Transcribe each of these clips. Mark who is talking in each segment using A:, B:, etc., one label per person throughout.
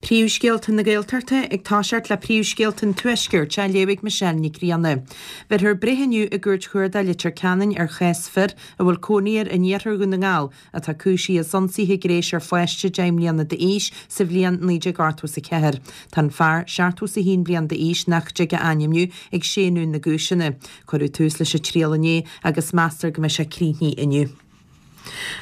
A: Príomhscéalta na Gaeltachta ag toiseacht le príomhscéalta an Tuaiscirt á léamh ag Michelle Nic Grianna. Bheirfear breith inniu i gCúirt Chuarda Leitir Ceanainn ar chás fir a bhfuil cónaí air in iarthar Dhún na nGall atá cúisithe as ionsaithe gnéis ar pháiste 10 mbliana d'aois sa bhliain 1984. Tá an fear, 71 bliain d'aois, nach dtig a ainmniú, ag séanadh na gcúiseanna. Cuireadh tús leis an triail inné agus meastar go mbeidh sé críochnaithe inniu.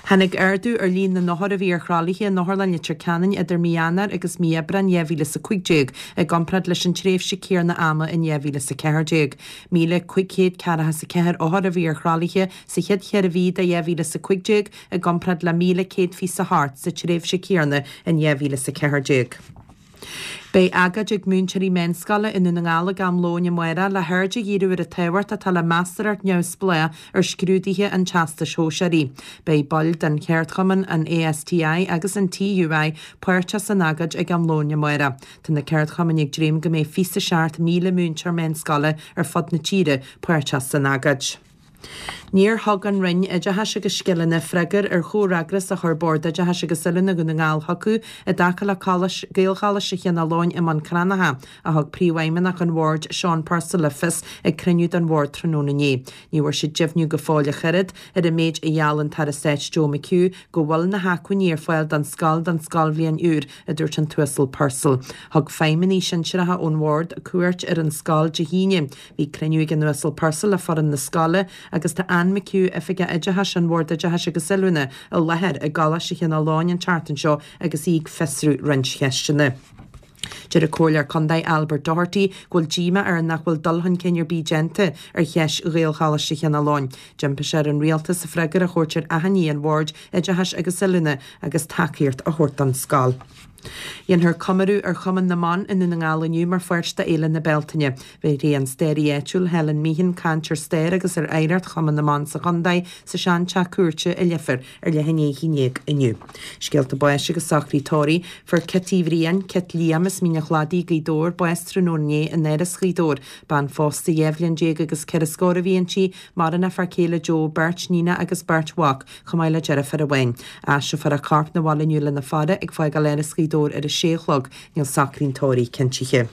A: Tháinig ardú ar líon na n-othar a bhí ar thralaithe in Otharlann Leitir Ceanainn idir mí Eanáir agus mí Aibreáin 2015 i gcomparáid leis an tréimhse céanna ama in 2014. 1,544 othar a bhí ar thralaithe sa chéad cheithre mhí de 2015 i gcomparáid le 1,128 sa tréimhse céanna in 2014. Beidh agóid ag múinteoirí meánscoile i nDún na nGall ag am lóin amárach le haird a dhíriú ar an tábhacht atá le meastóireacht neamhspleách ar scrúduithe an Teastais Shóisearaigh. Beidh baill den cheardchumann, an ASTI agus an TUI, páirteach san agóid ag am lóin amárach. Tá na ceardchumainn ag dréim go mbeidh 27,000 múinteoir meánscoile ar fud na tíre páirteach san agóid. Níor thug an Roinn Oideachais agus Scileanna freagra ar chomhfhreagras a chuir Bord Oideachais agus Oiliúna Dhún na nGall chucu i dtaca le Gaelcholáiste Chineál Eoghain i mBun Cranncha, a thug Príomhfheidhmeannach an Bhoird, Seán Purcell le fios ag cruinniú den Bhord tráthnóna inné. Ní bhfuair siad deimhniú go fóill ach oiread ar an méid a gheall an tAire Stáit Joe McHugh go bhfuil na hacmhainní ar fáil don scoil don scoilbhliain úr, a dúirt an tUasal Purcell. Thug feidhmeannaigh shinsearacha ón Bhord cuairt ar an scoil Dé hAoine. Bhí cruinniú ag an Uasal Purcell le foireann na scoile agus tá Anne McHugh, Oifigeach Oideachais an Bhoird Oideachais agus Oiliúna, i láthair i gColáiste Chineál Eoghain an tseachtain seo agus í ag fiosrú roinnt cheisteanna. Deir an Comhairleoir Contae Albert Doherty go bhfuil díomá air nach bhfuil dul chun cinn ar bith déanta ar cheist Ghaelcholáiste Chineál Eoghain. D'impigh sé ar an Rialtas freagra a thabhairt ar achainí an Bhoird Oideachais agus Oiliúna agus tacaíocht a thabhairt don scoil. Dhéanfar comóradh ar Chumann na mBan i nDún na nGall inniu mar pháirt d'Fhéile na Bealtaine. Bhéarfaidh an staraí áitiúil Helen Meehan caint ar stair agus ar oidhreacht Chumann na mBan sa chontae sa sean-teach cúirte i Leifear ar leath i ndiaidh 11 inniu. Scéalta báis agus socruithe tórraimh. Fuair Cit Uí Bhriain, Cit Liam as Mín an Chladaigh, Gaoth Dobhair, bás tráthnóna inné in Áras Ghaoth Dobhair. Bean phósta 12 bhliain agus ceithre scór a bhí inti, maireann a fear céile Joe, beirt níonacha agus beirt mhac. chomh maith le deirfiúr amháin. Aistreofar a corp 'na bhaile inniu lena faire ag fágáil Áras Ghaoth Dobhair ar a sé a chlog. Níl socruithe an tórraimh cinntithe.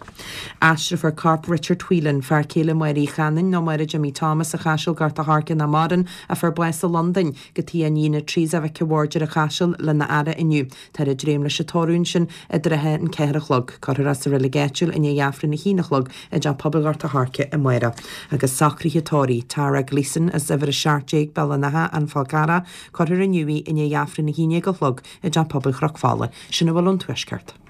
A: Aistreofar corp Richard Whelan, fear céile Máire Uí Chanainn nó Máire Jimmy Thomas a Chaiseal Gort a' Choirce nach maireann, a fuair bás i Londain, go tigh a iníne Teresa Mhic a' Bhaird ar an Chaiseal lena fhaire inniu. Táthar ag dréim leis an tórramh ansin i dtrátha an 4 a chlog. Cuirfear é sa reilig áitiúil i ndiaidh Aifreann a haon a chlog i dTeach Pobail Ghort a' Choirce amárach. Agus socruithe tórraimh, Tara Gleeson as uimhir 17 Béal an Átha, An Fál Carrach, cuirfear inniu í i ndiaidh Aifreann a haon déag a chlog i dTeach Pobail Chnoc Fola. Sin a bhfuil ón Tuaisceart.